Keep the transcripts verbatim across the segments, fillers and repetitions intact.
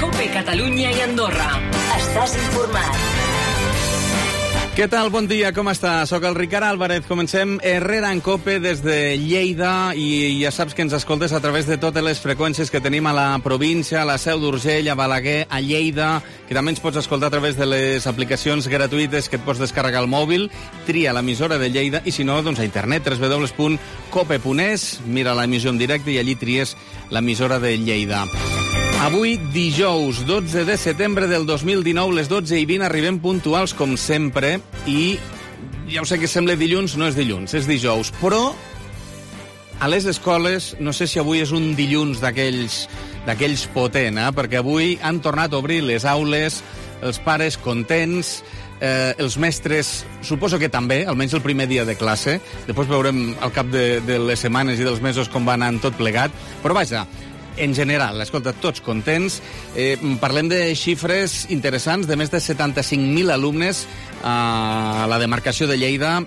COPE Catalunya i Andorra. Estàs informat. Què tal? Bon dia, com està? Soc el Ricard Álvarez. Comencem Herrera en COPE des de Lleida i ja saps que ens escoltes a través de totes les freqüències que tenim a la província, a la Seu d'Urgell, a Balaguer, a Lleida, que també ens pots escoltar a través de les aplicacions gratuïtes que et pots descarregar al mòbil. Tria l'emissora de Lleida i si no, doncs a internet, w w w punt cope punt es, mira l'emissió en directe i allí tries l'emissora de Lleida. Avui, dijous, dotze de setembre del dos mil dinou, les dotze i vint, arribem puntuals, com sempre, i ja ho sé que sembla dilluns, no és dilluns, és dijous, però a les escoles, no sé si avui és un dilluns d'aquells d'aquells potent, eh? Perquè avui han tornat a obrir les aules, els pares contents, eh, els mestres, suposo que també, almenys el primer dia de classe, després veurem al cap de, de les setmanes i dels mesos com va anar tot plegat, però vaja, en general, escolta, tots contents. Eh, parlem de xifres interessants, de més de setanta-cinc mil alumnes a la demarcació de Lleida.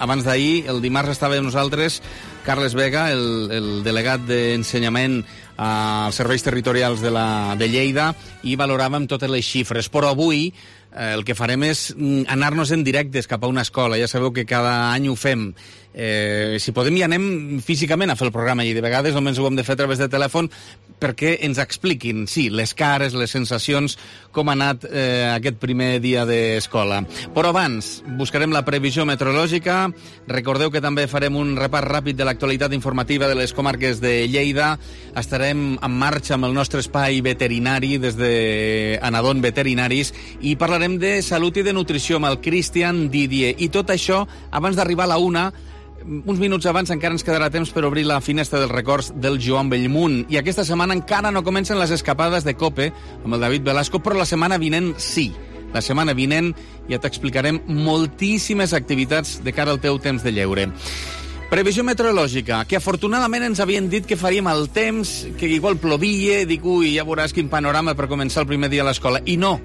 Abans d'ahir, el dimarts, estava amb nosaltres Carles Vega, el, el delegat d'ensenyament als serveis territorials de, la, de Lleida, i valoràvem totes les xifres. Però avui eh, el que farem és anar-nos en directes cap a una escola. Ja sabeu que cada any ho fem. Eh, si podem, hi anem físicament a fer el programa i de vegades només ho hem de fer a través de telèfon perquè ens expliquin, sí, les cares, les sensacions, com ha anat eh, aquest primer dia d'escola. Però abans, buscarem la previsió meteorològica. Recordeu que també farem un repàs ràpid de l'actualitat informativa de les comarques de Lleida. Estarem en marxa amb el nostre espai veterinari des de Anadon Veterinaris i parlarem de salut i de nutrició amb el Cristian Didier. I tot això abans d'arribar a la una. Uns minuts abans encara ens quedarà temps per obrir la finestra dels records del Joan Bellmunt. I aquesta setmana encara no comencen les escapades de COPE amb el David Velasco, però la setmana vinent sí. La setmana vinent ja t'explicarem moltíssimes activitats de cara al teu temps de lleure. Previsió meteorològica, que afortunadament ens havien dit que faríem el temps, que igual plovia, dic, ui, ja veuràs quin panorama per començar el primer dia a l'escola. I no.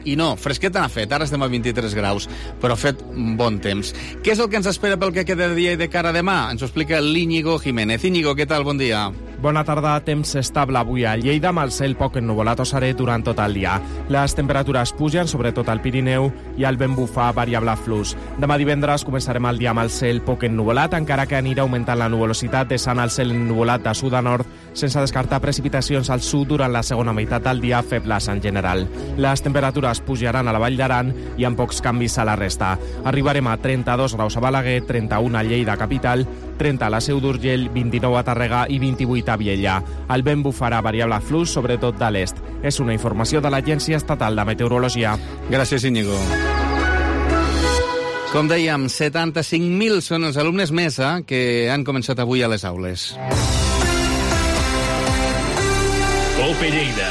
I no, fresqueta n'ha fet, ara estem a vint-i-tres graus, però ha fet bon temps. Què és el que ens espera pel que queda de dia i de cara a demà? Ens ho explica l'Íñigo Jiménez. Íñigo, què tal? Bon dia. Bona tarda, temps estable avui a Lleida, amb el cel poc ennuvolat o serè durant tot el dia. Les temperatures pugen, sobretot al Pirineu, i el vent bufa variable flux. Demà divendres començarem el dia amb el cel poc ennuvolat, encara que anirà augmentant la nuvolositat, deixant el cel ennuvolat de sud a nord, sense descartar precipitacions al sud durant la segona meitat del dia, febles en general. Les temperatures pujaran a la Vall d'Aran i amb pocs canvis a la resta. Arribarem a trenta-dos graus a Balaguer, trenta-un a Lleida capital, trenta a la Seu d'Urgell, vint-i-nou a Tàrrega i vint-i-vuit a Viella. El vent bufarà variable flux, sobretot de l'est. És una informació de l'Agència Estatal de Meteorologia. Gràcies, Íñigo. Com dèiem, setanta-cinc mil són els alumnes més eh, que han començat avui a les aules. COPE Lleida.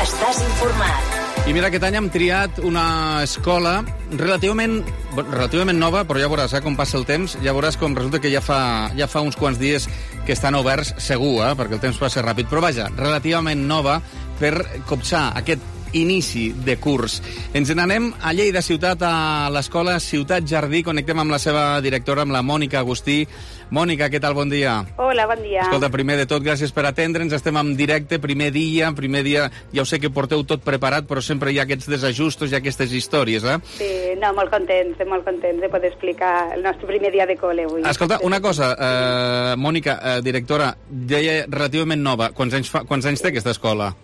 Estàs informat. I mira, aquest any hem triat una escola relativament, relativament nova, però ja veuràs eh, com passa el temps, ja veuràs com resulta que ja fa, ja fa uns quants dies que estan oberts, segur, eh, perquè el temps passa ràpid, però vaja, relativament nova per copsar aquest inici de curs. Ens n'anem a Lleida Ciutat, a l'escola Ciutat Jardí. Connectem amb la seva directora, amb la Mònica Agustí. Mònica, què tal? Bon dia. Hola, bon dia. Escolta, primer de tot, gràcies per atendre'ns. Estem en directe, primer dia, primer dia... Ja ho sé que porteu tot preparat, però sempre hi ha aquests desajustos i aquestes històries, eh? Sí, no, molt contents, molt contents de poder explicar el nostre primer dia de col·le avui. Escolta, una cosa, eh, Mònica, eh, directora, deia relativament nova. Quants anys, fa, quants anys té aquesta escola?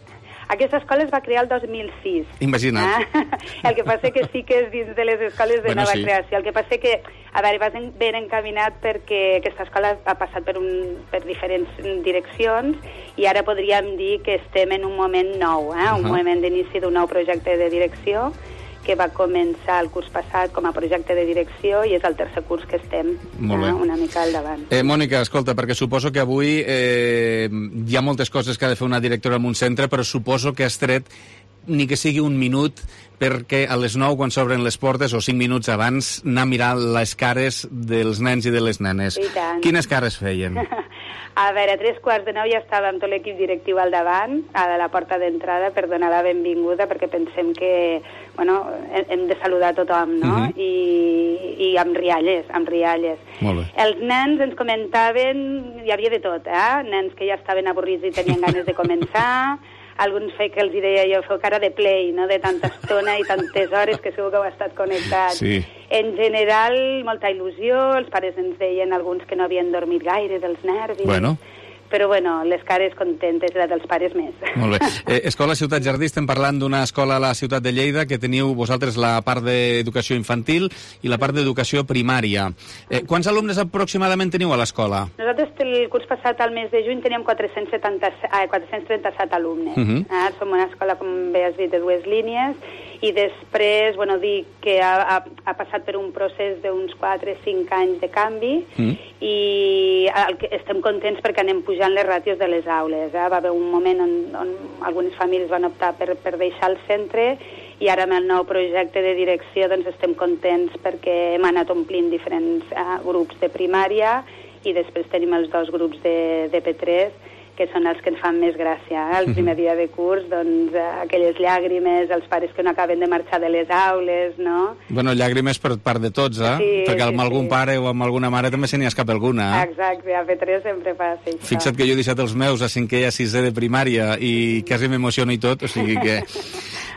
Aquesta escola es va crear el dos mil sis. Imagina't. Ah? El que passa que sí que és dins de les escoles de bueno, nova sí. creació. El que passa que, a veure, va ben encaminat perquè aquesta escola ha passat per, un, per diferents direccions i ara podríem dir que estem en un moment nou, eh? un uh -huh. moment d'inici d'un nou projecte de direcció que va començar el curs passat com a projecte de direcció i és el tercer curs que estem eh, una mica al davant. Eh, Mònica, escolta, perquè suposo que avui eh, hi ha moltes coses que ha de fer una directora en un centre, però suposo que has tret ni que sigui un minut perquè a les nou, quan s'obren les portes, o cinc minuts abans, anar a mirar les cares dels nens i de les nenes. I tant. Quines cares feien? A veure, a tres quarts de nou ja estàvem tot l'equip directiu al davant, a la porta d'entrada, per donar la benvinguda, perquè pensem que, bueno, hem de saludar a tothom, no? Uh-huh. I, i amb rialles, amb rialles. Molt bé. Els nens ens comentaven, hi havia de tot, eh? Nens que ja estaven avorrits i tenien ganes de començar, alguns fe, que els deia jo, feu cara de play, no?, de tanta estona i tantes hores que segur que heu estat connectats. Sí. En general, molta il·lusió, els pares ens deien alguns que no havien dormit gaire dels nervis. Bueno. Però, bueno, les cares contentes, la dels pares més. Molt bé. Eh, Escola Ciutat Jardí, estem parlant d'una escola a la ciutat de Lleida que teniu vosaltres la part d'educació infantil i la part d'educació primària. Eh, quants alumnes aproximadament teniu a l'escola? Nosaltres el curs passat, al mes de juny, teníem quatre-cents setanta, ah, quatre-cents trenta-set alumnes. Uh -huh. ah, som una escola, com bé has dit, de dues línies, i després, bueno, dic que ha, ha, ha passat per un procés d'uns quatre o cinc anys de canvi, uh -huh. i el que estem contents perquè anem pujant les ràtios de les aules. Eh? Va haver un moment on, on algunes famílies van optar per, per deixar el centre, i ara amb el nou projecte de direcció doncs estem contents perquè hem anat omplint diferents eh, grups de primària, i després tenim els dos grups de, de P tres, que són els que ens fan més gràcia. Eh? El primer dia de curs, doncs, eh, aquelles llàgrimes, els pares que no acaben de marxar de les aules, no? Bueno, llàgrimes per part de tots, eh? Sí, perquè amb sí, algun sí. pare o amb alguna mare també se n'hi escapa alguna, eh? Exacte, a P tres sempre passa això. Fixa't que jo he deixat els meus a cinquè i a sisè de primària i quasi m'emociono i tot, o sigui que...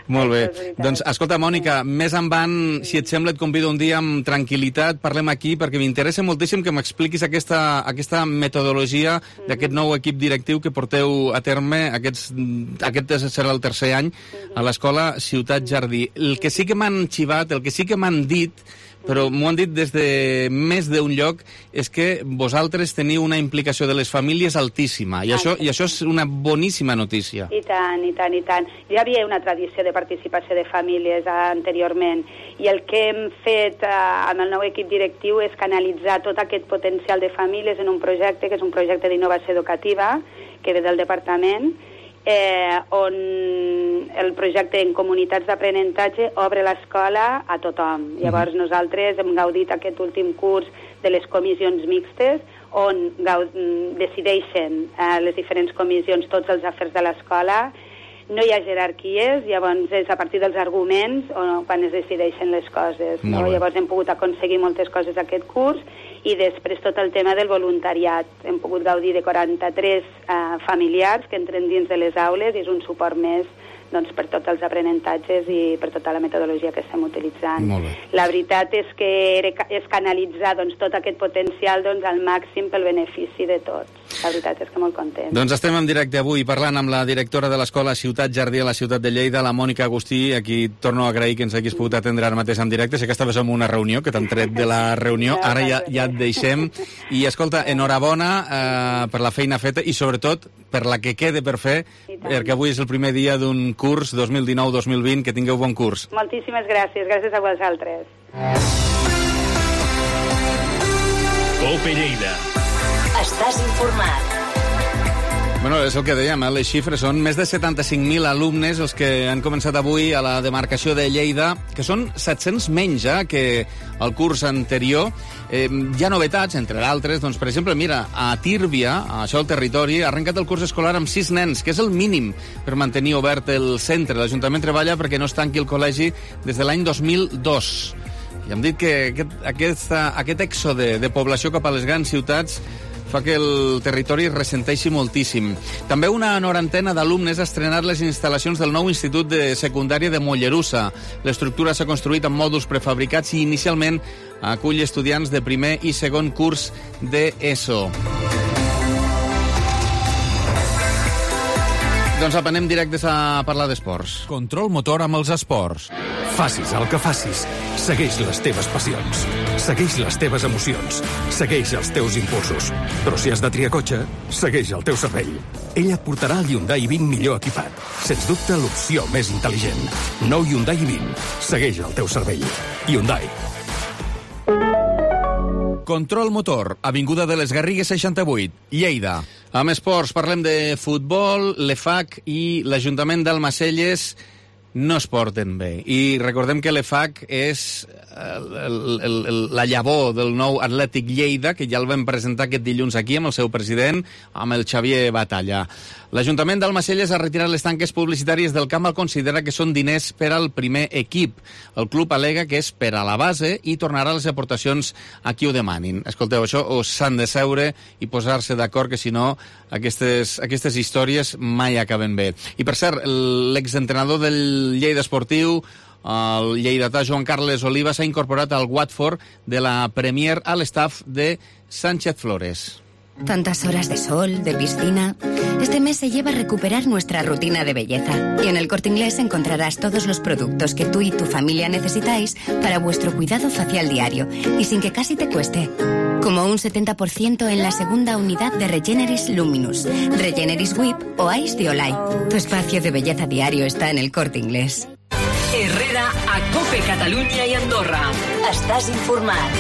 Molt bé. Doncs, escolta, Mònica, més en van, si et sembla, et convido un dia amb tranquil·litat, parlem aquí, perquè m'interessa moltíssim que m'expliquis aquesta, aquesta metodologia mm-hmm. d'aquest nou equip directiu que porteu a terme, aquests, aquest serà el tercer any, a l'escola Ciutat Jardí. El que sí que m'han xivat, el que sí que m'han dit, però m'ho han dit des de més d'un lloc, és que vosaltres teniu una implicació de les famílies altíssima, i això, i això és una boníssima notícia. I tant, i tant, i tant. Ja hi havia una tradició de participació de famílies eh, anteriorment, i el que hem fet eh, amb el nou equip directiu és canalitzar tot aquest potencial de famílies en un projecte, que és un projecte d'innovació educativa, que ve del departament, eh, on el projecte en comunitats d'aprenentatge obre l'escola a tothom. Llavors mm-hmm. nosaltres hem gaudit aquest últim curs de les comissions mixtes, on decideixen eh, les diferents comissions tots els afers de l'escola. No hi ha jerarquies, llavors és a partir dels arguments o quan es decideixen les coses. No? Llavors hem pogut aconseguir moltes coses aquest curs, i després tot el tema del voluntariat. Hem pogut gaudir de quaranta-tres eh, familiars que entren dins de les aules, i és un suport més doncs, per tots els aprenentatges i per tota la metodologia que estem utilitzant. La veritat és que és canalitzar doncs, tot aquest potencial doncs, al màxim pel benefici de tots. La veritat és que molt content. Doncs estem en directe avui parlant amb la directora de l'escola Ciutat Jardí a la ciutat de Lleida, la Mònica Agustí, a qui torno a agrair que ens haguis pogut atendre ara mateix en directe. Sé que estaves en una reunió, que t'han tret de la reunió, ara ja, ja et deixem. I escolta, enhorabona eh, per la feina feta i sobretot per la que quede per fer, perquè avui és el primer dia d'un curs dos mil dinou dos mil vint. Que tingueu bon curs. Moltíssimes gràcies, gràcies a vosaltres. Cope Lleida. Estàs informat. Bueno, és el que dèiem, eh? Les xifres són més de setanta-cinc mil alumnes els que han començat avui a la demarcació de Lleida, que són set-cents menys eh, que el curs anterior. Eh, hi ha novetats, entre d'altres, doncs, per exemple, mira, a Tírvia, a això el territori, ha arrencat el curs escolar amb sis nens, que és el mínim per mantenir obert el centre. L'Ajuntament treballa perquè no es tanqui el col·legi des de l'any dos mil dos. I hem dit que aquest, aquesta, aquest èxode de població cap a les grans ciutats fa que el territori ressenteixi moltíssim. També una norantena d'alumnes ha estrenat les instal·lacions del nou Institut de Secundària de Mollerussa. L'estructura s'ha construït amb mòduls prefabricats i inicialment acull estudiants de primer i segon curs d'ESO. Doncs apenem directes a parlar d'esports. Control motor amb els esports. Facis el que facis, segueix les teves passions, segueix les teves emocions, segueix els teus impulsos. Però si has de triar cotxe, segueix el teu cervell. Ell et portarà el Hyundai vint millor equipat. Sens dubte, l'opció més intel·ligent. Nou Hyundai vint. Segueix el teu cervell. Hyundai. Control motor, avinguda de les Garrigues seixanta-vuit, Lleida. Amb esports parlem de futbol, l'E F A C i l'Ajuntament d'Almacelles no es porten bé. I recordem que l'E F A C és el, el, el, la llavor del nou Atlètic Lleida, que ja el vam presentar aquest dilluns aquí amb el seu president, amb el Xavier Batalla. L'Ajuntament d'Almacelles ha retirat les tanques publicitàries del camp, al considera que són diners per al primer equip. El club al·lega que és per a la base i tornarà les aportacions a qui ho demanin. Escolteu, això o s'han de seure i posar-se d'acord, que si no aquestes, aquestes històries mai acaben bé. I per cert, l'exentrenador del Lleida Esportiu, el lleidatà Joan Carles Oliva, s'ha incorporat al Watford de la Premier a l'estaf de Sánchez Flores. Tantas horas de sol, de piscina. Este mes se lleva a recuperar nuestra rutina de belleza. Y en El Corte Inglés encontrarás todos los productos que tú y tu familia necesitáis para vuestro cuidado facial diario. Y sin que casi te cueste. Como un setenta por ciento en la segunda unidad de Regeneris Luminous, Regeneris Whip o Ice de Olay. Tu espacio de belleza diario está en El Corte Inglés. Herrera a COPE Catalunya i Andorra. Estàs informat.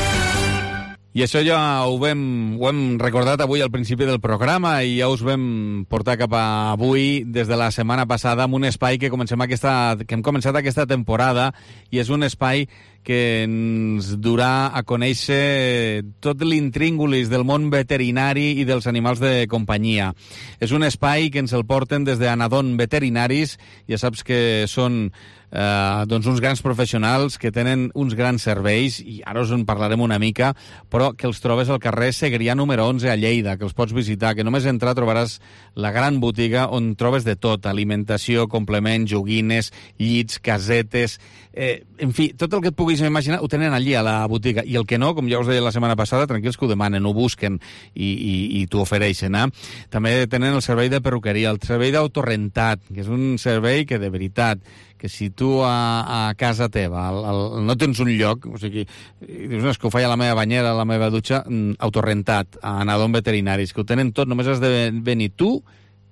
I això ja ho, vam, ho hem recordat avui al principi del programa i ja us vam portar cap a avui des de la setmana passada amb un espai que, comencem aquesta, que hem començat aquesta temporada, i és un espai que ens durà a conèixer tot l'intríngulis del món veterinari i dels animals de companyia. És un espai que ens el porten des d'Anadon Veterinaris, ja saps que són eh, doncs uns grans professionals que tenen uns grans serveis, i ara us en parlarem una mica, però que els trobes al carrer Segrià número onze a Lleida, que els pots visitar, que només entrar trobaràs la gran botiga on trobes de tot, alimentació, complements, joguines, llits, casetes, eh, en fi, tot el que et puguis imaginar ho tenen allí a la botiga, i el que no, com ja us deia la setmana passada, tranquils que ho demanen, ho busquen i, i, i t'ho ofereixen. Eh? També tenen el servei de perruqueria, el servei d'autorrentat, que és un servei que de veritat, que si tu a, a casa teva el, el, no tens un lloc, o sigui, dius, no, és que ho faig a la meva banyera, a la meva dutxa, autorrentat, a Anadon Veterinaris, que ho tenen tot, només has de venir tu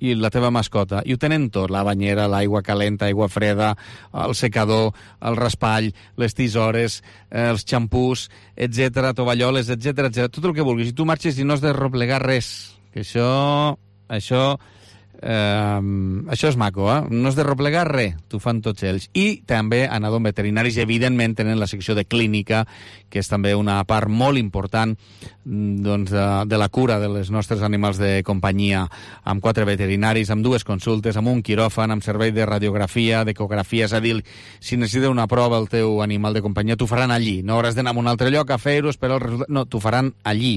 i la teva mascota, i ho tenen tot, la banyera, l'aigua calenta, aigua freda, el secador, el raspall, les tisores, eh, els xampús, etcètera, tovalloles, etcètera, etcètera, tot el que vulguis. I tu marxes i no has de replegar res, que això, això, eh, això és maco, eh? No has de replegar res, t'ho fan tots ells. I també Anadon Veterinaris, evidentment, tenen la secció de clínica, que és també una part molt important doncs, de, de la cura de les nostres animals de companyia, amb quatre veterinaris, amb dues consultes, amb un quiròfan, amb servei de radiografia, d'ecografia, és a dir, si necessita una prova el teu animal de companyia, t'ho faran allí, no hauràs d'anar a un altre lloc a fer-ho, esperar el resultat, no, t'ho faran allí.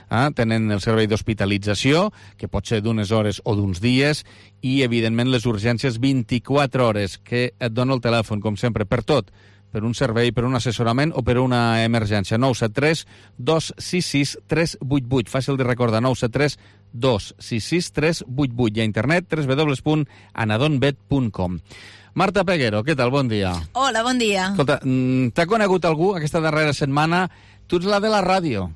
Eh? Tenen el servei d'hospitalització, que pot ser d'unes hores o d'uns dies, i, evidentment, les urgències vint-i-quatre hores, que et dona el telèfon, com sempre, per tot, per un servei, per un assessorament o per una emergència. nou set tres dos sis sis tres vuit vuit. Fàcil de recordar, nou set tres dos sis sis tres vuit vuit. I a internet, w w w punt anadonvet punt com. Marta Peguero, què tal? Bon dia. Hola, bon dia. Escolta, t'ha conegut algú aquesta darrera setmana? Tu ets la de la ràdio.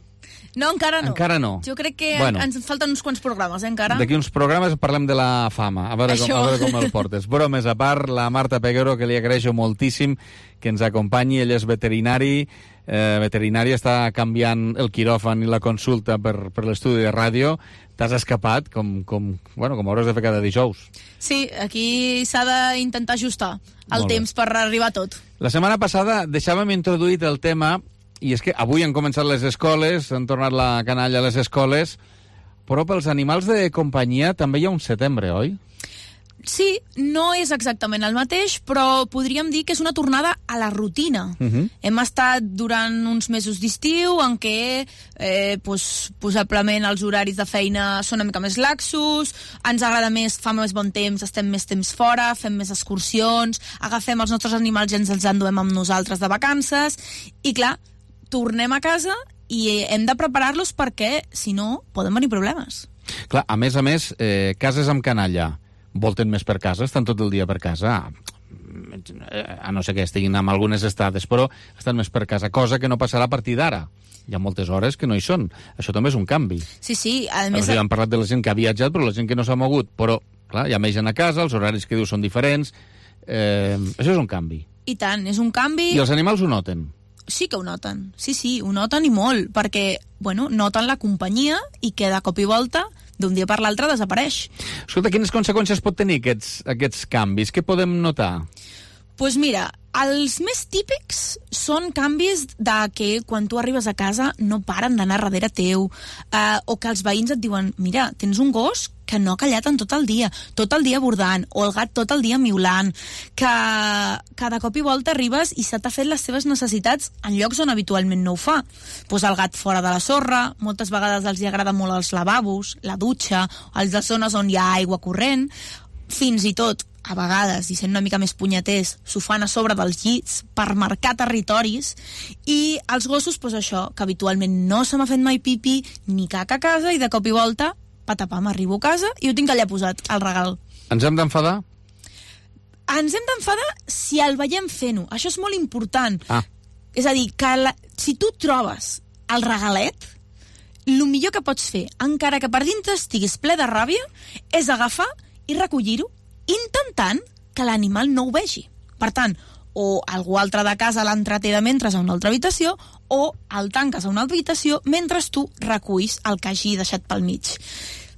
No, encara no. Encara no. Jo crec que bueno, ens falten uns quants programes, eh, encara. D'aquí uns programes parlem de la fama, a veure, com, a veure com el portes. Bromes a part, la Marta Peguero, que li agraeixo moltíssim que ens acompanyi, ell és veterinari, eh, veterinari, està canviant el quiròfan i la consulta per, per l'estudi de ràdio. T'has escapat, com, com, bueno, com hauràs de fer cada dijous. Sí, aquí s'ha d'intentar ajustar el Molt temps bé. per arribar a tot. La setmana passada deixàvem introduït el tema, i és que avui han començat les escoles, han tornat la canalla a les escoles, però pels animals de companyia també hi ha un setembre, oi? Sí, no és exactament el mateix, però podríem dir que és una tornada a la rutina. Uh-huh. Hem estat durant uns mesos d'estiu en què eh, pues, possiblement els horaris de feina són una mica més laxos, ens agrada més, fa més bon temps, estem més temps fora, fem més excursions, agafem els nostres animals i ens els enduem amb nosaltres de vacances, i clar, tornem a casa i hem de preparar-los perquè, si no, poden venir problemes. Clar, a més a més, eh, cases amb canalla volten més per casa, estan tot el dia per casa, a no ser que estiguin amb algunes estades, però estan més per casa, cosa que no passarà a partir d'ara. Hi ha moltes hores que no hi són. Això també és un canvi. Sí, sí. A més... O sigui, hem parlat de la gent que ha viatjat, però la gent que no s'ha mogut. Però, clar, hi ha més gent a casa, els horaris que diu són diferents. Eh, això és un canvi. I tant, és un canvi... I els animals ho noten. Sí que ho noten, sí, sí, ho noten i molt, perquè, bueno, noten la companyia i que de cop i volta, d'un dia per l'altre, desapareix. Escolta, quines conseqüències pot tenir aquests, aquests canvis? Què podem notar? Doncs mira, els més típics són canvis de que quan tu arribes a casa no paren d'anar darrere teu, eh, o que els veïns et diuen, mira, tens un gos que no ha callat en tot el dia, tot el dia bordant, o el gat tot el dia miulant, que cada cop i volta arribes i se t'ha fet les seves necessitats en llocs on habitualment no ho fa. Pues el gat fora de la sorra, moltes vegades els hi agrada molt els lavabos, la dutxa, els de zones on hi ha aigua corrent, fins i tot a vegades, i sent una mica més punyeters, s'ho fan a sobre dels llits per marcar territoris, i els gossos, doncs això, que habitualment no se m'ha fet mai pipi ni caca a casa, i de cop i volta, patapam, arribo a casa i ho tinc allà posat, al regal. Ens hem d'enfadar? Ens hem d'enfadar si el veiem fent-ho. Això és molt important. Ah. És a dir, que la, si tu trobes el regalet, el millor que pots fer, encara que per dintre estiguis ple de ràbia, és agafar i recollir-ho, intentant que l'animal no ho vegi. Per tant, o algú altre de casa l'entreté de mentre a una altra habitació, o el tanques a una altra habitació mentre tu reculls el que hagi deixat pel mig.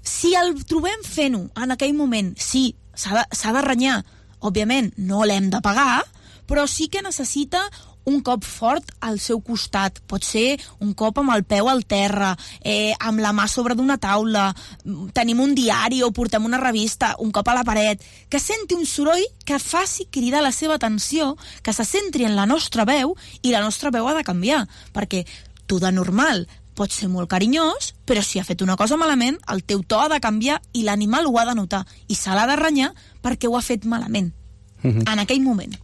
Si el trobem fent-ho en aquell moment, sí, s'ha de, s'ha de renyar. Òbviament, no l'hem de pagar, però sí que necessita un cop fort al seu costat. Pot ser un cop amb el peu al terra, eh, amb la mà sobre d'una taula, tenim un diari o portem una revista, un cop a la paret, que senti un soroll que faci cridar la seva atenció, que se centri en la nostra veu, i la nostra veu ha de canviar, perquè tu de normal pots ser molt carinyós, però si ha fet una cosa malament, el teu to ha de canviar i l'animal ho ha de notar, i se l'ha de renyar perquè ho ha fet malament. Uh-huh. En aquell moment.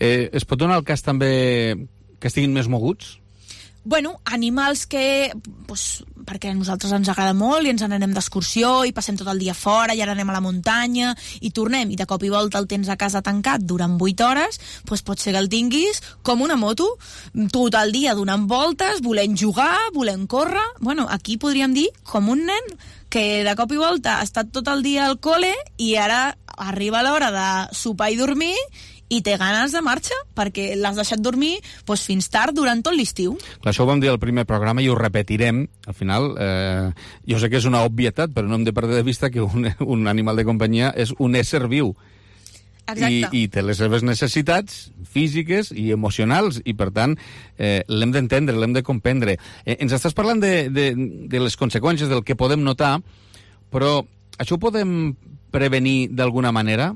Eh, es pot donar el cas també que estiguin més moguts? Bueno, animals que, pues, perquè a nosaltres ens agrada molt i ens n'anem d'excursió i passem tot el dia fora i ara anem a la muntanya i tornem i de cop i volta el tens a casa tancat durant vuit hores, pues pot ser que el tinguis com una moto, tot el dia donant voltes, volent jugar, volent córrer. Bueno, aquí podríem dir com un nen que de cop i volta ha estat tot el dia al col·le i ara arriba l'hora de sopar i dormir i té ganes de marxa, perquè l'has deixat dormir doncs, fins tard durant tot l'estiu. Clar, això ho vam dir al primer programa i ho repetirem. Al final, eh, jo sé que és una obvietat, però no hem de perdre de vista que un, un animal de companyia és un ésser viu. Exacte. I, i té les seves necessitats físiques i emocionals, i per tant eh, l'hem d'entendre, l'hem de comprendre. Eh, ens estàs parlant de, de, de les conseqüències, del que podem notar, però això ho podem prevenir d'alguna manera?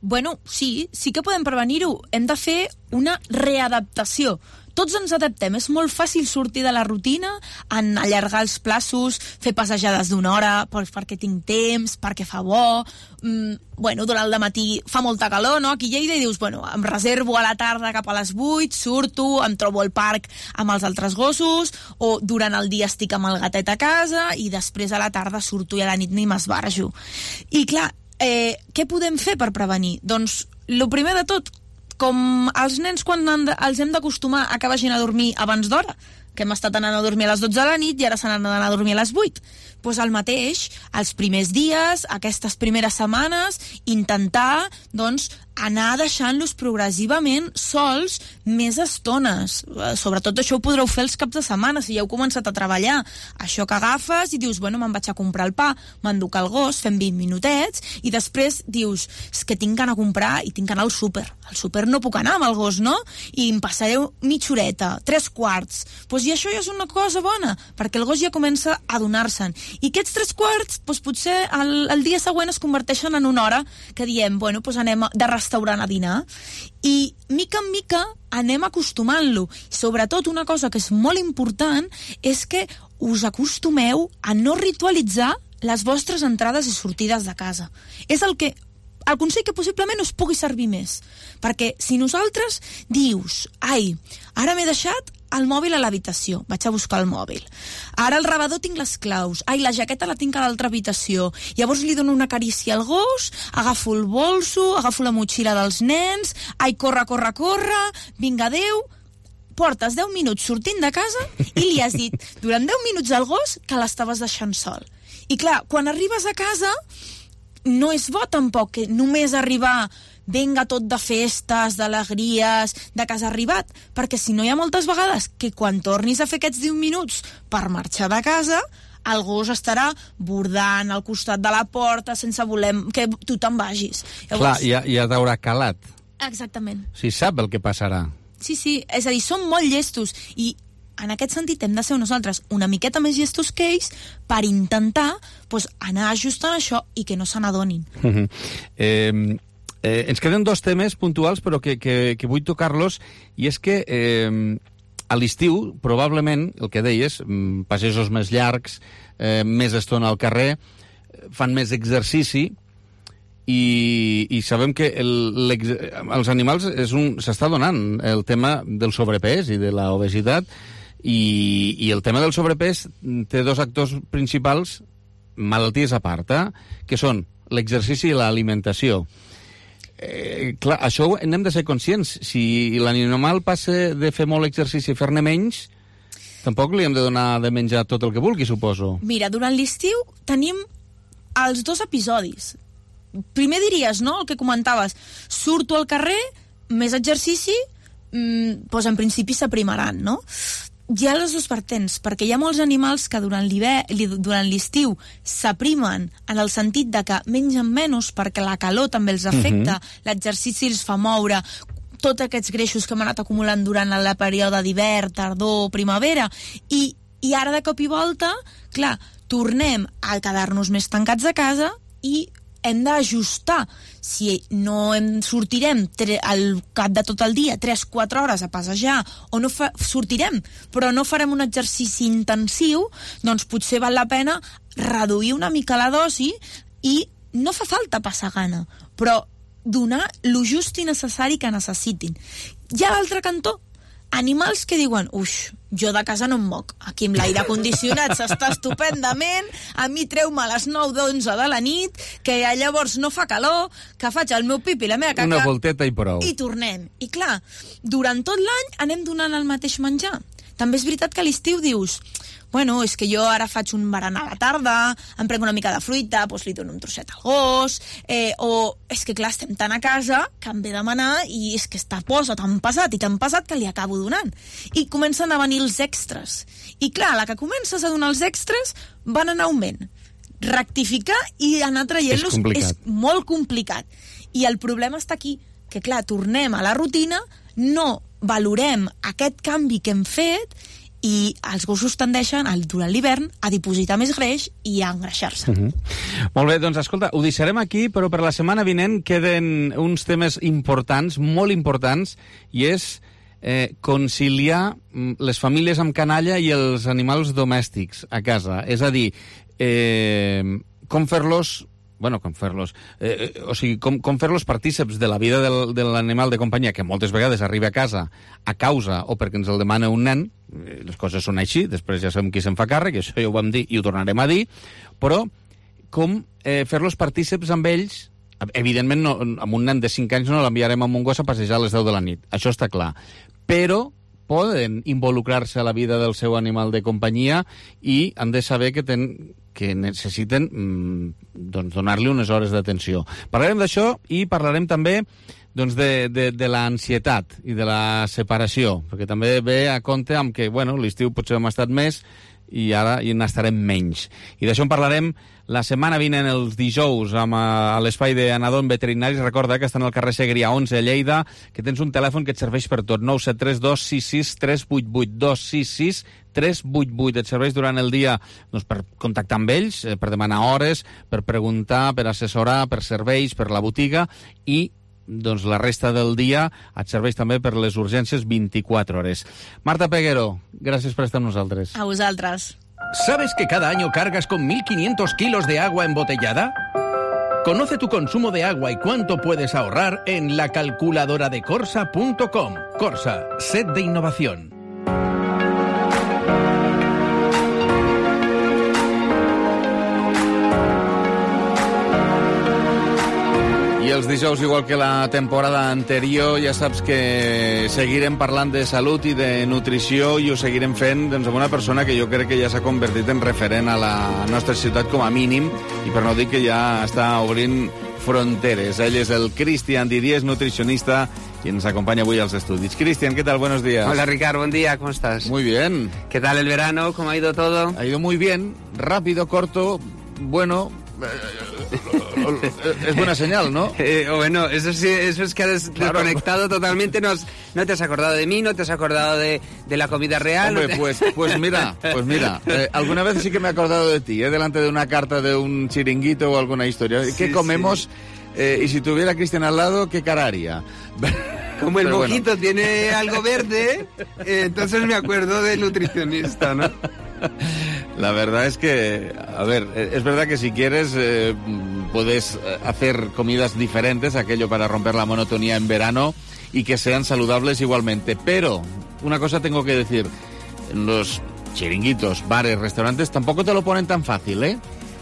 Bueno, sí, sí que podem prevenir-ho. Hem de fer una readaptació. Tots ens adaptem. És molt fàcil sortir de la rutina, en allargar els plaços, fer passejades d'una hora, perquè tinc temps, perquè fa bo. Mm, bueno, durant el matí fa molta calor, no? Aquí a Lleida, i dius, bueno, em reservo a la tarda cap a les vuit, surto, em trobo al parc amb els altres gossos, o durant el dia estic amb el gatet a casa, i després a la tarda surto i a la nit ni m'esbarjo. I clar, eh, què podem fer per prevenir? Doncs, el primer de tot, com els nens quan de, els hem d'acostumar a que vagin a dormir abans d'hora, que hem estat anant a dormir a les dotze de la nit i ara s'han d'anar a dormir a les vuit. Doncs el mateix, els primers dies, aquestes primeres setmanes, intentar, doncs, anar deixant-los progressivament sols més estones. Sobretot això ho podreu fer els caps de setmana, si ja heu començat a treballar. Això que agafes i dius, bueno, me'n vaig a comprar el pa, m'enduc el gos, fem vint minutets, i després dius, és que tinc d'anar a comprar i tinc d'anar al súper. Al súper no puc anar amb el gos, no? I em passaré mitja horeta, tres quarts. Doncs i això ja és una cosa bona, perquè el gos ja comença a donar-se'n. I aquests tres quarts, doncs potser el, el dia següent es converteixen en una hora que diem, bueno, doncs anem de restaurant a dinar, i mica en mica anem acostumant-lo. Sobretot una cosa que és molt important és que us acostumeu a no ritualitzar les vostres entrades i sortides de casa. És el que el consell que possiblement us pugui servir més, perquè si nosaltres dius, ai, ara m'he deixat el mòbil a l'habitació, vaig a buscar el mòbil, ara al rebedor tinc les claus, ai, la jaqueta la tinc a l'altra habitació, llavors li dono una carícia al gos, agafo el bolso, agafo la motxilla dels nens, ai, corre, corre, corre, vinga, adéu, portes deu minuts sortint de casa i li has dit durant deu minuts al gos que l'estaves deixant sol. I clar, quan arribes a casa no és bo tampoc que només arribar venga tot de festes, d'alegries, de que has arribat, perquè si no hi ha moltes vegades que quan tornis a fer aquests deu minuts per marxar de casa, el gos estarà bordant al costat de la porta sense voler que tu te'n vagis. Llavors... Clar, ja, ja t'haurà calat. Exactament. O sigui, sap el que passarà. Sí, sí, és a dir, són molt llestos i en aquest sentit hem de ser nosaltres una miqueta més llestos que ells per intentar pues, anar ajustant això i que no se n'adonin. Uh -huh. eh, eh, ens queden dos temes puntuals però que, que, que vull tocar-los, i és que eh, a l'estiu, probablement, el que deies, passejos més llargs, eh, més estona al carrer, fan més exercici, I, i sabem que el, els animals s'està donant el tema del sobrepès i de l'obesitat, i, i el tema del sobrepès té dos actors principals, malalties a part, eh? Que són l'exercici i l'alimentació. Eh, clar, això n'hem de ser conscients. Si l'animal passa de fer molt exercici i fer-ne menys, tampoc li hem de donar de menjar tot el que vulgui, suposo. Mira, durant l'estiu tenim els dos episodis. Primer diries, no?, el que comentaves, surto al carrer, més exercici, mmm, doncs en principi s'aprimaran, no? Hi ha les dues vertents, perquè hi ha molts animals que durant durant l'estiu s'aprimen en el sentit de que mengen menys perquè la calor també els afecta, uh-huh. l'exercici els fa moure, tots aquests greixos que hem anat acumulant durant el període d'hivern, tardor, primavera, i, i ara de cop i volta, clar, tornem a quedar-nos més tancats a casa i hem d'ajustar. Si no em sortirem tre- al cap de tot el dia tres quatre hores a passejar, o no fa- sortirem, però no farem un exercici intensiu, doncs potser val la pena reduir una mica la dosi i no fa falta passar gana, però donar lo just i necessari que necessitin. Hi ha l'altre cantó, animals que diuen, uix, jo de casa no em moc, aquí amb l'aire condicionat s'està estupendament, a mi treu-me a les nou d'onze de la nit, que llavors no fa calor, que faig el meu pipi i la meva caca... Una volteta i prou. I tornem. I clar, durant tot l'any anem donant el mateix menjar. També és veritat que a l'estiu dius, bueno, és que jo ara faig un berenar a la tarda, em prenc una mica de fruita, doncs li dono un trosset al gos, eh, o és que clar, estem tan a casa que em ve demanar i és que està posa tan pesat i tan pesat que li acabo donant. I comencen a venir els extras. I clar, a la que comences a donar els extras van en augment. Rectificar i anar traient-los és, és molt complicat. I el problema està aquí, que clar, tornem a la rutina, no valorem aquest canvi que hem fet i els gossos tendeixen, durant l'hivern, a dipositar més greix i a engreixar-se. Uh-huh. Molt bé, doncs escolta, ho deixarem aquí, però per la setmana vinent queden uns temes importants, molt importants, i és eh, conciliar les famílies amb canalla i els animals domèstics a casa. És a dir, eh, com fer-los... Bueno, com fer-los... Eh, o sigui, com, com fer-los partíceps de la vida del, de l'animal de companyia, que moltes vegades arriba a casa a causa o perquè ens el demana un nen, les coses són així, després ja sabem qui se'n fa càrrec, això ja ho vam dir i ho tornarem a dir, però com eh, fer-los partíceps amb ells, evidentment no, amb un nen de cinc anys no l'enviarem amb un gos a passejar a les deu de la nit, això està clar, però poden involucrar-se a la vida del seu animal de companyia i han de saber que, ten, que necessiten mmm, doncs donar-li unes hores d'atenció. Parlarem d'això i parlarem també doncs, de, de, de l'ansietat i de la separació, perquè també ve a compte amb que bueno, l'estiu potser hem estat més i ara hi n'estarem menys. I d'això en parlarem la setmana vinent, els dijous, amb, a, a l'espai d'Anadon Veterinaris. Recorda que estan al carrer Segrià onze a Lleida, que tens un telèfon que et serveix per tot, nou set tres dos sis sis tres vuit vuit, dos sis sis tres vuit vuit. Et serveix durant el dia doncs, per contactar amb ells, per demanar hores, per preguntar, per assessorar, per serveis, per la botiga, i doncs la resta del dia et serveix també per les urgències vint-i-quatre hores. Marta Peguero, gràcies per estar amb nosaltres. A vosaltres. ¿Sabes que cada año cargas con mil quinientos kilos de agua embotellada? Conoce tu consumo de agua y cuánto puedes ahorrar en la calculadora de corsa punto com. Corsa, sed de innovación. I els dijous, igual que la temporada anterior, ja saps que seguirem parlant de salut i de nutrició i ho seguirem fent doncs, amb una persona que jo crec que ja s'ha convertit en referent a la nostra ciutat com a mínim, i per no dir que ja està obrint fronteres. Ell és el Cristian Didier, nutricionista, y nos acompaña hoy a los estudios. Cristian, ¿qué tal? Buenos días. Hola, Ricardo, buen día, ¿cómo estás? Muy bien. ¿Qué tal el verano? ¿Cómo ha ido todo? Ha ido muy bien, rápido, corto, bueno... es buena señal, ¿no? Eh, bueno, eso sí, eso es que has claro. desconectado totalmente, no, has, no te has acordado de mí, no te has acordado de, de la comida real. Hombre, no te... pues, pues mira, pues mira, eh, alguna vez sí que me he acordado de ti, ¿eh? Delante de una carta de un chiringuito o alguna historia. Sí, ¿qué comemos? Sí. Eh, y si tuviera a Cristian al lado, ¿qué cara haría? Como el Pero mojito bueno. tiene algo verde, eh, entonces me acuerdo del nutricionista, ¿no? La verdad es que, a ver, es verdad que si quieres eh, puedes hacer comidas diferentes, aquello para romper la monotonía en verano y que sean saludables igualmente. Pero, una cosa tengo que decir, los chiringuitos, bares, restaurantes tampoco te lo ponen tan fácil, ¿eh?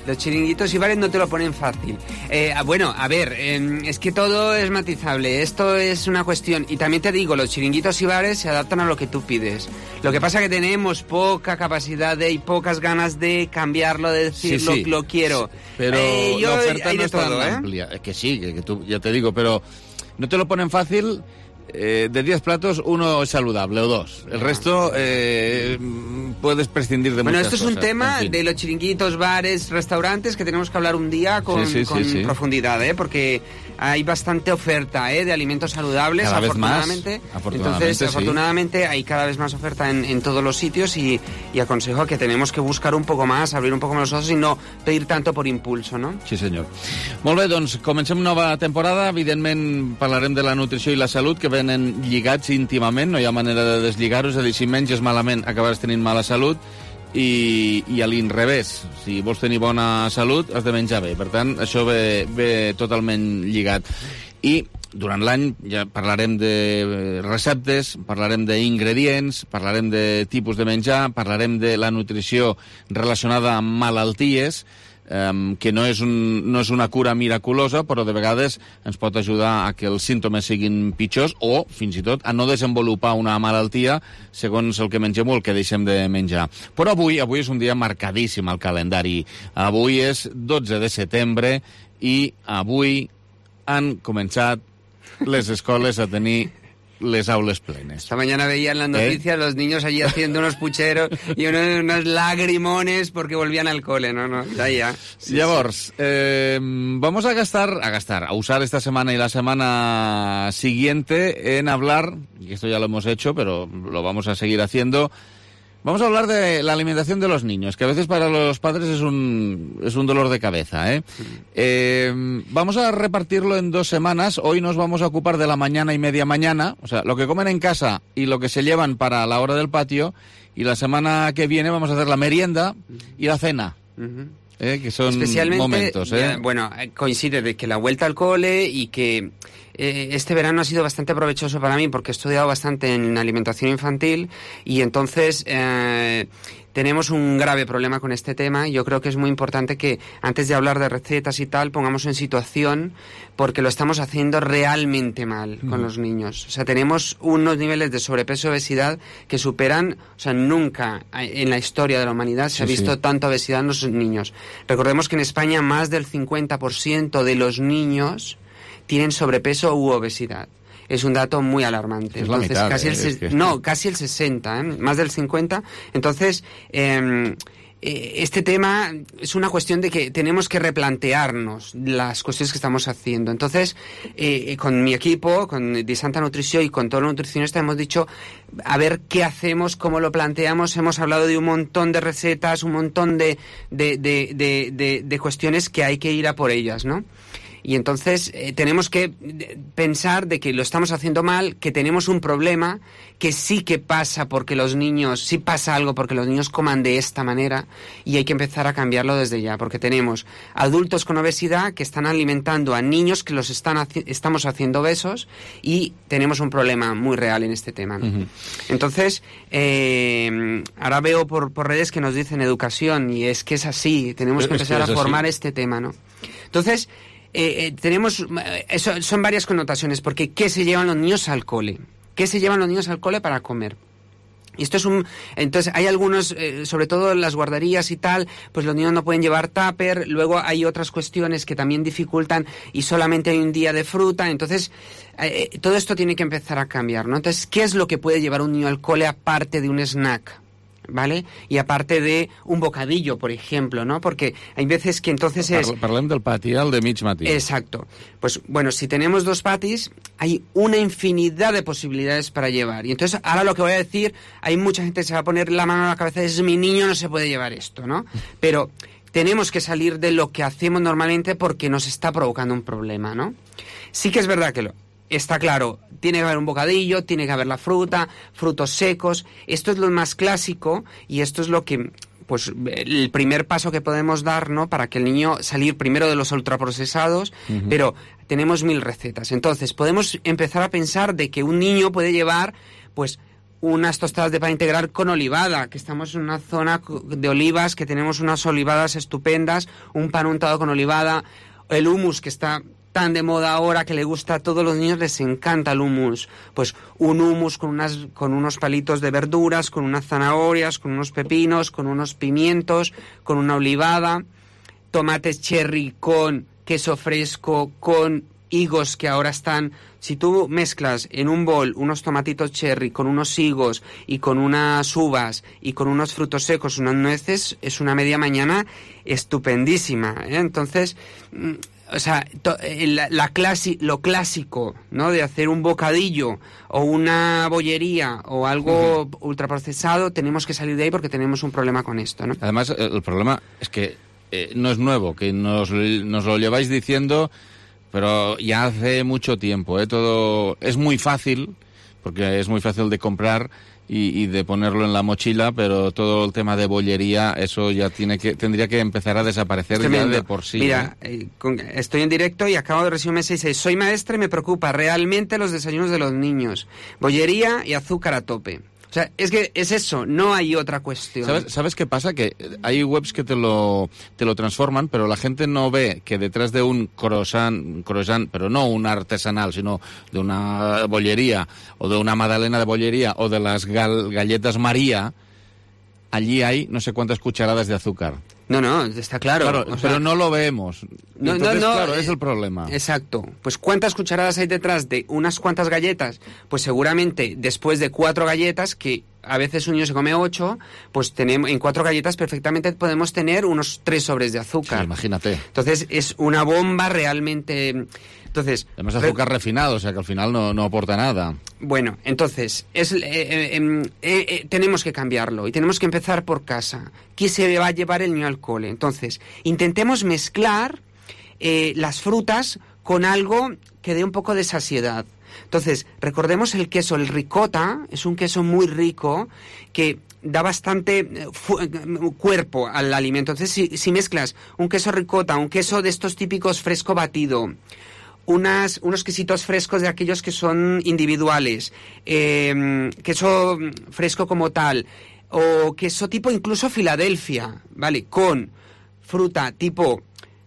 Los chiringuitos y bares no te lo ponen fácil. Eh, bueno, a ver, eh, es que todo es matizable. Esto es una cuestión. Y también te digo, los chiringuitos y bares se adaptan a lo que tú pides. Lo que pasa es que tenemos poca capacidad de, y pocas ganas de cambiarlo, de decir sí, sí. Lo, lo quiero. Pero eh, yo, la oferta hay no de es tan todo, ¿eh? amplia. Es que sí, que, que tú, ya te digo, pero no te lo ponen fácil. Eh, de diez platos, uno es saludable o dos. El resto eh, puedes prescindir de bueno, muchas cosas. Bueno, esto es un tema en fin. de los chiringuitos, bares, restaurantes que tenemos que hablar un día con, sí, sí, con sí, sí. profundidad, ¿eh? Porque hay bastante oferta, ¿eh? De alimentos saludables, cada vez afortunadamente. Más, afortunadamente. Entonces, sí. afortunadamente hay cada vez más oferta en, en todos los sitios y, y aconsejo que tenemos que buscar un poco más, abrir un poco más los ojos y no pedir tanto por impulso, no? Sí, senyor. Molt bé, doncs comencem nova temporada. Evidentment parlarem de la nutrició i la salut, que venen lligats íntimament, no hi ha manera de deslligar-ho, és a dir, si menges malament acabaràs tenint mala salut i, i a l'inrevés, si vols tenir bona salut has de menjar bé, per tant això ve, ve totalment lligat. I durant l'any ja parlarem de receptes, parlarem d'ingredients, parlarem de tipus de menjar, parlarem de la nutrició relacionada amb malalties, Um, que no és, un, no és una cura miraculosa, però de vegades ens pot ajudar a que els símptomes siguin pitjors o, fins i tot, a no desenvolupar una malaltia segons el que mengem o el que deixem de menjar. Però avui, avui és un dia marcadíssim al calendari. Avui és dotze de setembre i avui han començat les escoles a tenir les aules plenes. Esta mañana veían las noticias ¿Eh? Los niños allí haciendo unos pucheros y unos, unos lagrimones porque volvían al cole, no, no, ya, ya. Sí, Llavors, sí. Eh, vamos a gastar, a gastar, a usar esta semana y la semana siguiente en hablar, y esto ya lo hemos hecho, pero lo vamos a seguir haciendo. Vamos a hablar de la alimentación de los niños, que a veces para los padres es un, es un dolor de cabeza, ¿eh? Eh, vamos a repartirlo en dos semanas. Hoy nos vamos a ocupar de la mañana y media mañana, o sea, lo que comen en casa y lo que se llevan para la hora del patio, y la semana que viene vamos a hacer la merienda y la cena. Uh-huh. Eh, que son momentos, ¿eh? Ya, bueno, coincide de que la vuelta al cole y que eh, este verano ha sido bastante provechoso para mí porque he estudiado bastante en alimentación infantil y entonces eh, tenemos un grave problema con este tema. Yo creo que es muy importante que antes de hablar de recetas y tal pongamos en situación porque lo estamos haciendo realmente mal con mm. los niños. O sea, tenemos unos niveles de sobrepeso y obesidad que superan, o sea, nunca en la historia de la humanidad se sí, ha visto sí. tanta obesidad en los niños. Recordemos que en España más del cincuenta por ciento de los niños tienen sobrepeso u obesidad. Es un dato muy alarmante. Es la Entonces, mitad, casi eh, el se- es que... no, casi el sesenta, ¿eh? Más del cincuenta. Entonces, eh, este tema es una cuestión de que tenemos que replantearnos las cuestiones que estamos haciendo. Entonces, eh, con mi equipo, con Di Santa Nutrició y con todos los nutricionistas hemos dicho a ver qué hacemos, cómo lo planteamos. Hemos hablado de un montón de recetas, un montón de, de, de, de, de, de cuestiones que hay que ir a por ellas, ¿no? Y entonces eh, tenemos que pensar de que lo estamos haciendo mal, que tenemos un problema, que sí que pasa porque los niños, sí pasa algo porque los niños coman de esta manera y hay que empezar a cambiarlo desde ya, porque tenemos adultos con obesidad que están alimentando a niños que los están haci- estamos haciendo obesos y tenemos un problema muy real en este tema, ¿no? Uh-huh. Entonces, eh, ahora veo por, por redes que nos dicen educación y es que es así, tenemos Pero que empezar es que a formar así. este tema, ¿no? Entonces, Eh, eh, tenemos, eso, son varias connotaciones, porque ¿qué se llevan los niños al cole? ¿Qué se llevan los niños al cole para comer? Y esto es un... Entonces, hay algunos, eh, sobre todo en las guarderías y tal, pues los niños no pueden llevar tupper, luego hay otras cuestiones que también dificultan y solamente hay un día de fruta, entonces eh, todo esto tiene que empezar a cambiar, ¿no? Entonces, ¿qué es lo que puede llevar un niño al cole aparte de un snack? ¿vale? Y aparte de un bocadillo, por ejemplo, ¿no? Porque hay veces que entonces es... Parlem del pati, el de mig matí. Exacto. Pues bueno, si tenemos dos patis, hay una infinidad de posibilidades para llevar. Y entonces, ahora lo que voy a decir, hay mucha gente que se va a poner la mano a la cabeza, es mi niño, no se puede llevar esto, ¿no? Pero tenemos que salir de lo que hacemos normalmente porque nos está provocando un problema, ¿no? Sí que es verdad que lo... Está claro, tiene que haber un bocadillo, tiene que haber la fruta, frutos secos. Esto es lo más clásico y esto es lo que, pues, el primer paso que podemos dar, ¿no? Para que el niño salir primero de los ultraprocesados, uh-huh. Pero tenemos mil recetas. Entonces, podemos empezar a pensar de que un niño puede llevar, pues, unas tostadas de pan integral con olivada, que estamos en una zona de olivas, que tenemos unas olivadas estupendas, un pan untado con olivada, el hummus que está tan de moda ahora, que le gusta a todos los niños, les encanta el hummus. Pues un hummus con, unas, con unos palitos de verduras, con unas zanahorias, con unos pepinos, con unos pimientos, con una olivada, tomates cherry con queso fresco, con higos que ahora están... Si tú mezclas en un bol unos tomatitos cherry con unos higos y con unas uvas y con unos frutos secos, unas nueces, es una media mañana estupendísima, ¿eh? Entonces... O sea, to, la, la clasi, lo clásico, ¿no? De hacer un bocadillo o una bollería o algo uh-huh. ultraprocesado, tenemos que salir de ahí porque tenemos un problema con esto, ¿no? Además, el problema es que eh, no es nuevo, que nos, nos lo lleváis diciendo, pero ya hace mucho tiempo, ¿eh? Todo es muy fácil, porque es muy fácil de comprar y, y de ponerlo en la mochila, pero todo el tema de bollería, eso ya tiene que tendría que empezar a desaparecer ya de por sí. Mira, ¿eh? Eh, con, estoy en directo y acabo de recibir un mensaje y dice: soy maestra y me preocupa realmente los desayunos de los niños. Bollería y azúcar a tope. O sea, es que es eso, no hay otra cuestión. ¿Sabes, ¿Sabes qué pasa? Que hay webs que te lo, te lo transforman, pero la gente no ve que detrás de un croissant, croissant, pero no un artesanal, sino de una bollería, o de una magdalena de bollería, o de las gal, galletas María, allí hay no sé cuántas cucharadas de azúcar. No, no, está claro. Claro, o sea, pero no lo vemos. No, Entonces, no, no, claro, eh, es el problema. Exacto. Pues ¿cuántas cucharadas hay detrás de unas cuantas galletas? Pues seguramente después de cuatro galletas, que a veces un niño se come ocho, pues tenemos en cuatro galletas perfectamente podemos tener unos tres sobres de azúcar. Sí, imagínate. Entonces es una bomba realmente... Entonces, además azúcar re... refinado, o sea que al final no, no aporta nada. Bueno, entonces, es, eh, eh, eh, eh, tenemos que cambiarlo y tenemos que empezar por casa. ¿Qué se va a llevar el niño al cole? Entonces, intentemos mezclar eh, las frutas con algo que dé un poco de saciedad. Entonces, recordemos el queso, el ricota, es un queso muy rico que da bastante cuerpo al alimento. Entonces, si, si mezclas un queso ricota, un queso de estos típicos fresco batido, Unas, unos quesitos frescos de aquellos que son individuales, eh, queso fresco como tal, o queso tipo incluso Filadelfia, ¿vale? Con fruta tipo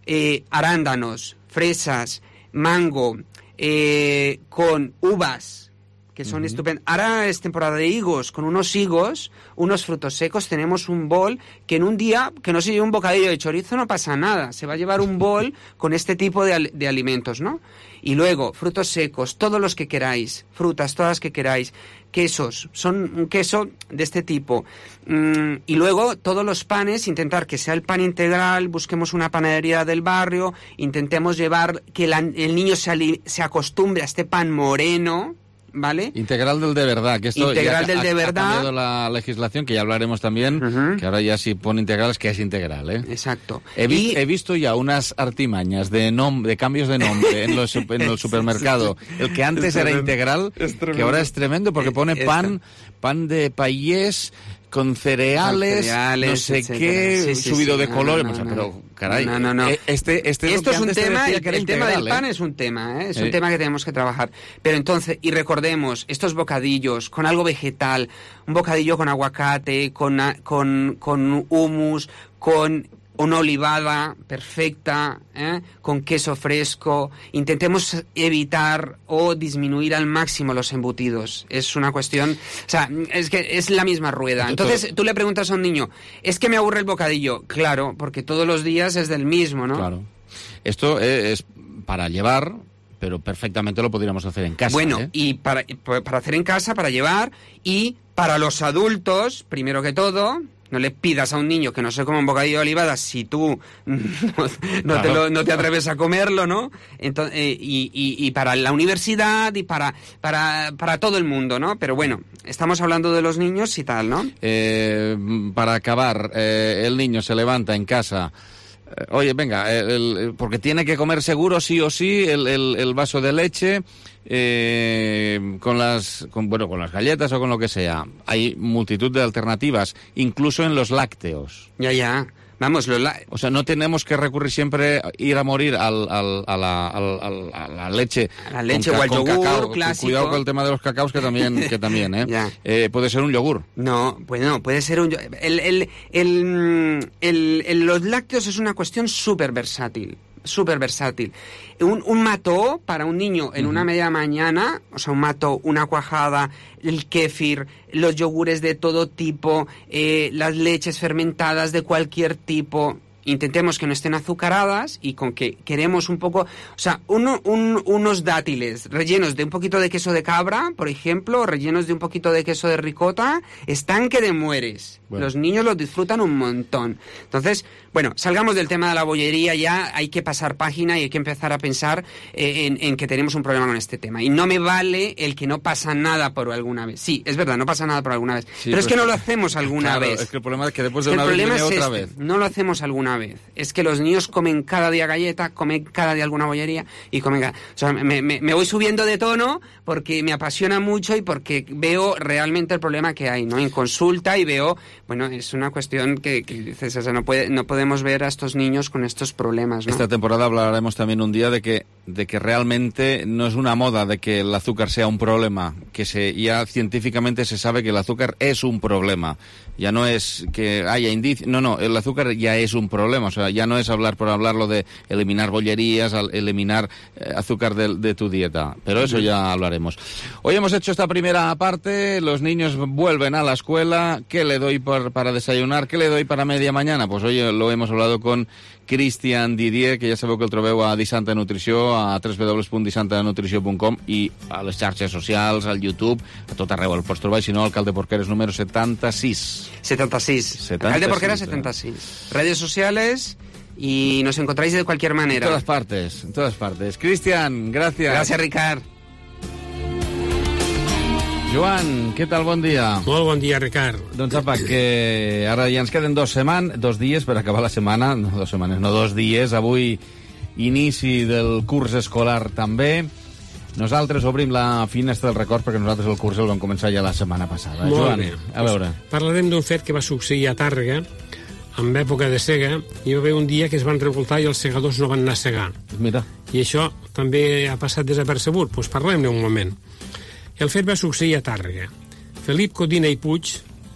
eh, arándanos, fresas, mango, eh, con uvas, que son uh-huh. estupendos. Ahora es temporada de higos, con unos higos, unos frutos secos, tenemos un bol que en un día, que no se lleve un bocadillo de chorizo, no pasa nada, se va a llevar un bol con este tipo de, de alimentos, ¿no? Y luego, frutos secos, todos los que queráis, frutas, todas las que queráis, quesos, son un queso de este tipo. Mm, y luego, todos los panes, intentar que sea el pan integral, busquemos una panadería del barrio, intentemos llevar que la, el niño se, ali, se acostumbre a este pan moreno, ¿vale? Integral del de verdad, que esto integral ya del de ha, verdad. ha cambiado la legislación, que ya hablaremos también, uh-huh. que ahora ya si pone integral es que es integral, ¿eh? Exacto. He, vi, y... he visto ya unas artimañas de nom de cambios de nombre en, los, en el supermercado. El que antes era integral, que ahora es tremendo porque pone pan, pan de payés con cereales, cereales no sé etcétera. qué, sí, sí, subido sí, de no, colores, no, no, o sea, no. pero caray, no, no, no. este, este esto es, es un tema, el, el integral, tema del pan ¿eh? es un tema, ¿eh? es eh. un tema que tenemos que trabajar. Pero entonces, y recordemos, estos bocadillos con algo vegetal, un bocadillo con aguacate, con, con, con hummus, con una olivada perfecta, ¿eh? con queso fresco. Intentemos evitar o disminuir al máximo los embutidos. Es una cuestión... O sea, es que es la misma rueda. Entonces, tú le preguntas a un niño, ¿es que me aburre el bocadillo? Claro, porque todos los días es del mismo, ¿no? Claro. Esto es para llevar, pero perfectamente lo podríamos hacer en casa. Bueno, ¿eh? y para, para hacer en casa, para llevar y... Para los adultos, primero que todo, no le pidas a un niño que no se coma un bocadillo de olivadas si tú no, no, claro. te, lo, no te atreves a comerlo, ¿no? Entonces, eh, y, y, y para la universidad y para, para, para todo el mundo, ¿no? Pero bueno, estamos hablando de los niños y tal, ¿no? Eh, para acabar, eh, el niño se levanta en casa... Oye, venga, el, el, porque tiene que comer seguro sí o sí el, el, el vaso de leche eh, con las con, bueno, con las galletas o con lo que sea. Hay multitud de alternativas, incluso en los lácteos. Ya, ya. Vamos, los la... O sea, no tenemos que recurrir siempre, ir a morir al, al, a, la, al, a la leche. A la leche o al yogur cacao. clásico. Cuidado con el tema de los cacaos, que también, que también ¿eh? eh puede ser un yogur. No, pues no, puede ser un... El, el, el, el, el, los lácteos es una cuestión súper versátil. Súper versátil. Un, un mató para un niño en uh-huh. una media mañana, o sea, un mató, una cuajada, el kéfir, los yogures de todo tipo, eh, las leches fermentadas de cualquier tipo. Intentemos que no estén azucaradas y con que queremos un poco... O sea, uno, un, unos dátiles rellenos de un poquito de queso de cabra, por ejemplo, rellenos de un poquito de queso de ricota, están que te mueres. Bueno. Los niños los disfrutan un montón. Entonces, bueno, salgamos del tema de la bollería ya, hay que pasar página y hay que empezar a pensar eh, en, en que tenemos un problema con este tema. Y no me vale el que no pasa nada por alguna vez. Sí, es verdad, no pasa nada por alguna vez. Sí, pero pues, es que no lo hacemos alguna claro, vez. Es que el problema es que después de una vez viene es otra este, vez. No lo hacemos alguna vez. Es que los niños comen cada día galleta, comen cada día alguna bollería y comen cada... O sea, me, me, me voy subiendo de tono porque me apasiona mucho y porque veo realmente el problema que hay, ¿no? En consulta y veo... Bueno, es una cuestión que, que dices, o sea, no, puede, no podemos ver a estos niños con estos problemas, ¿no? Esta temporada hablaremos también un día de que, de que realmente no es una moda de que el azúcar sea un problema, que se, ya científicamente se sabe que el azúcar es un problema. Ya no es que haya indicios, no, no, el azúcar ya es un problema, o sea, ya no es hablar por hablarlo de eliminar bollerías, eliminar eh, azúcar de, de tu dieta, pero eso ya hablaremos. Hoy hemos hecho esta primera parte, los niños vuelven a la escuela, ¿qué le doy por, para desayunar? ¿Qué le doy para media mañana? Pues hoy lo hemos hablado con Cristian Didier, que ja sabeu que el trobeu a Disanta Nutrició, a w w w punt disanta nutrició punt com i a les xarxes socials, al YouTube, a tot arreu el pots trobar, i si no, Alcalde Porqueres número setanta-sis. setenta-sis. setenta-sis. Alcalde Porqueres setenta-sis. Redes sociales y nos encontráis de cualquier manera. En todas partes, en todas partes. Cristian, gracias. Gracias, Ricard. Joan, què tal? Bon dia. Molt bon dia, Ricard. Doncs apa, que ara ja ens queden dos setmanes, dos dies per acabar la setmana, no dos setmanes, no dos dies. Avui inici del curs escolar també. Nosaltres obrim la finestra del record perquè nosaltres el curs el vam començar ja la setmana passada. Molt Joan, bé. a veure. Pues parlarem d'un fet que va succeir a Tàrrega, en època de sega. Hi va haver un dia que es van revoltar i els segadors no van anar a segar. Mira. I això també ha passat desapercebut. Doncs parlem-ne un moment. El fet va succeir a Tàrrega. Felip Codina i Puig,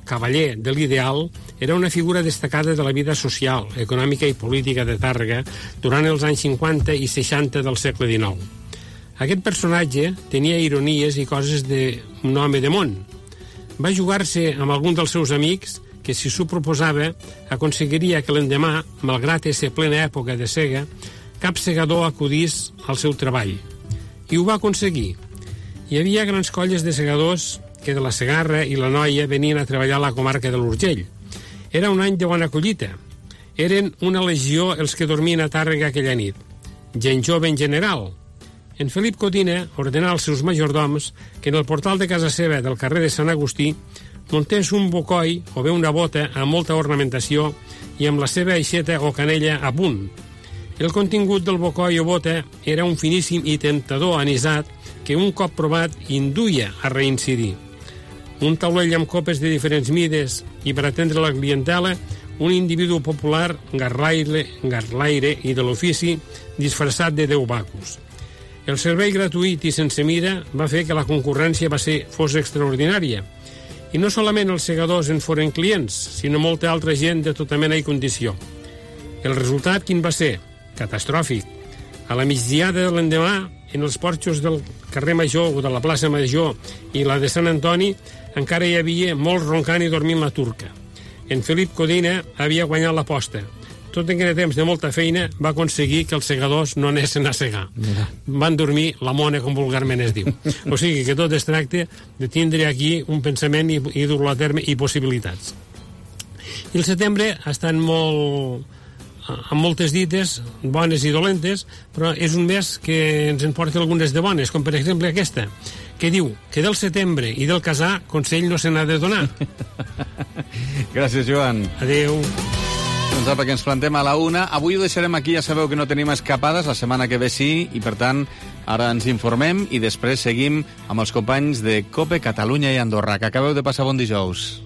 cavaller de l'Ideal, era una figura destacada de la vida social, econòmica i política de Tàrrega durant els anys cinquanta i seixanta del segle dinou. Aquest personatge tenia ironies i coses d'un home de món. Va jugar-se amb algun dels seus amics que, si s'ho proposava, aconseguiria que l'endemà, malgrat ésser plena època de sega, cap segador acudís al seu treball. I ho va aconseguir. Hi havia grans colles de segadors que de la Segarra i la Noia venien a treballar a la comarca de l'Urgell. Era un any de bona collita. Eren una legió els que dormien a Tàrrega aquella nit. Gent jove en general. En Felip Codina ordenà als seus majordoms que en el portal de casa seva del carrer de Sant Agustí muntés un bocoi o bé una bota amb molta ornamentació i amb la seva aixeta o canella a punt. El contingut del bocoi o bota era un finíssim i temptador anisat que un cop provat induïa a reincidir. Un taulell amb copes de diferents mides i per atendre la clientela un individu popular garlaire, garlaire i de l'ofici disfressat de deu bacos. El servei gratuït i sense mida va fer que la concurrència va ser, fos extraordinària. I no solament els segadors en foren clients, sinó molta altra gent de tota mena i condició. El resultat quin va ser? Catastròfic. A la migdiada de l'endemà, en els porxos del carrer Major o de la plaça Major i la de Sant Antoni encara hi havia molts roncant i dormint la turca. En Felip Codina havia guanyat l'aposta. tot aquell temps de molta feina, va aconseguir que els segadors no anessin a segar. Mira. Van dormir la mona, com vulgarment es diu. O sigui que tot es tracta de tindre aquí un pensament i, i dur-lo a terme i possibilitats. I el setembre estan molt... amb moltes dites, bones i dolentes, però és un mes que ens en porta algunes de bones, com per exemple aquesta, que diu que del setembre i del casar consell no se n'ha de donar. Gràcies, Joan. Adéu. Doncs apa, que ens plantem a la una. Avui ho deixarem aquí, ja sabeu que no tenim escapades, la setmana que ve sí, i per tant, ara ens informem i després seguim amb els companys de COPE Catalunya i Andorra. Que acabeu de passar bon dijous.